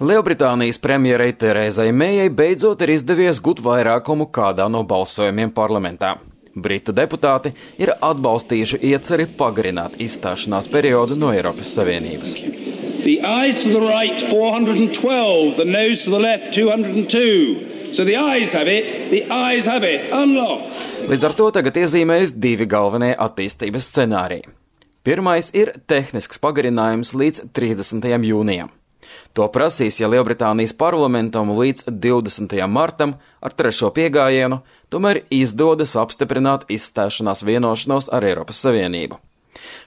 Lielbritānijas premjerei Terezai Mejai beidzot ir izdevies gūt vairākumu kādā no balsojumiem parlamentā. Britu deputāti ir atbalstījuši ieceri pagarināt izstāšanās periodu no Eiropas Savienības. The ayes to the right 412, the noes to the left 202. So the ayes have it, the ayes have it. Unlock. Līdz ar to tagad iezīmējas divi galvenie attīstības scenāriji. Pirmais ir tehnisks pagarinājums līdz 30. jūnijam. To prasīs, ja Lielbritānijas parlamentam līdz 20. martam ar trešo piegājienu tomēr izdodas apstiprināt izstāšanās vienošanos ar Eiropas Savienību.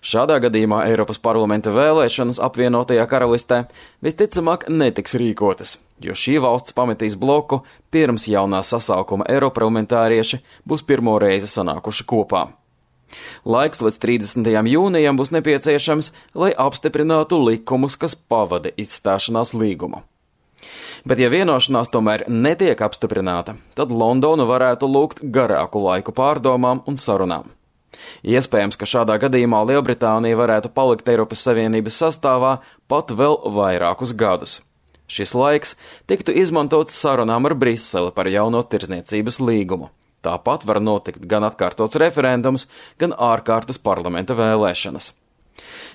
Šādā gadījumā Eiropas parlamenta vēlēšanas apvienotajā karalistē visticamāk netiks rīkotas, jo šī valsts pametīs bloku pirms jaunā sasaukuma eiroparlamentārieši būs pirmo reizi sanākuši kopā. Laiks līdz 30. jūnijam būs nepieciešams, lai apstiprinātu likumus, kas pavada izstāšanās līgumu. Bet ja vienošanās tomēr netiek apstiprināta, tad Londona varētu lūgt garāku laiku pārdomām un sarunām. Iespējams, ka šādā gadījumā Lielbritānija varētu palikt Eiropas Savienības sastāvā pat vēl vairākus gadus. Šis laiks tiktu izmantots sarunām ar Briseli par jauno tirdzniecības līgumu. Tāpat var notikt gan atkārtots referendums, gan ārkārtas parlamenta vēlēšanas.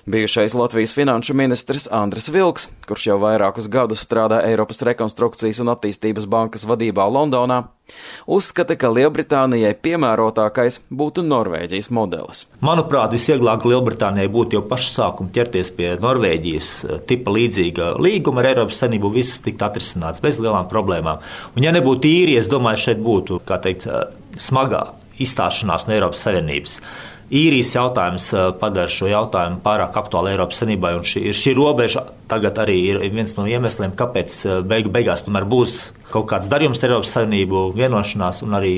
Bijušais Latvijas finanšu ministrs Andris Vilks, kurš jau vairākus gadus strādā Eiropas rekonstrukcijas un attīstības bankas vadībā Londonā, uzskata, ka Lielbritānijai piemērotākais būtu Norvēģijas modelis. Manuprāt, visvieglāk Lielbritānijai būtu jau paša sākuma ķerties pie Norvēģijas tipa līdzīga līguma ar Eiropas Savienību, viss tikt atrisināts bez lielām problēmām. Un ja nebūtu īrija, es domāju, šeit būtu, smagā izstāšanās no Eiropas Savienības. Īrijas jautājums padara šo jautājumu pārāk aktuāli Eiropas Savienībai, un šī robeža tagad arī ir viens no iemesliem, kāpēc beigās tomēr būs kaut kāds darījums ar Eiropas Savienību, vienošanās un arī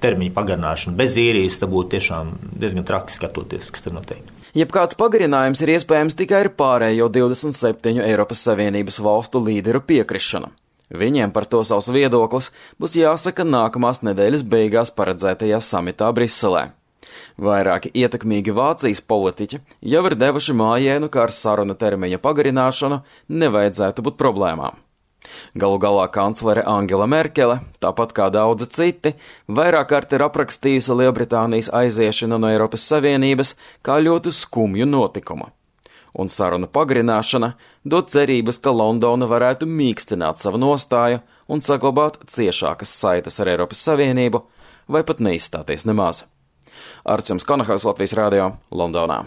termiņu pagarināšana. Bez īrijas tā būtu tiešām diezgan traki skatoties, kas tur notiek. Jebkāds pagarinājums ir iespējams tikai ar pārējo 27 Eiropas Savienības valstu līderu piekrišanu. Viņiem par to savs viedoklis būs jāsaka nākamās nedēļas beigās paredzētajā samitā Briselē. Vairāki ietekmīgi Vācijas politiķi jau ir devuši mājienu, ka ar saruna termiņa pagarināšanu nevajadzētu būt problēmām. Galu galā kanclere Angela Merkele, tāpat kā daudzi citi, vairāk kārt ir aprakstījusi Lielbritānijas aiziešanu no Eiropas Savienības kā ļoti skumju notikumu. Un saruna pagarināšana dod cerības, ka Londona varētu mīkstināt savu nostāju un saglabāt ciešākas saites ar Eiropas Savienību vai pat neizstāties nemaz. Arts Konahals, Latvijas radio, Londonā.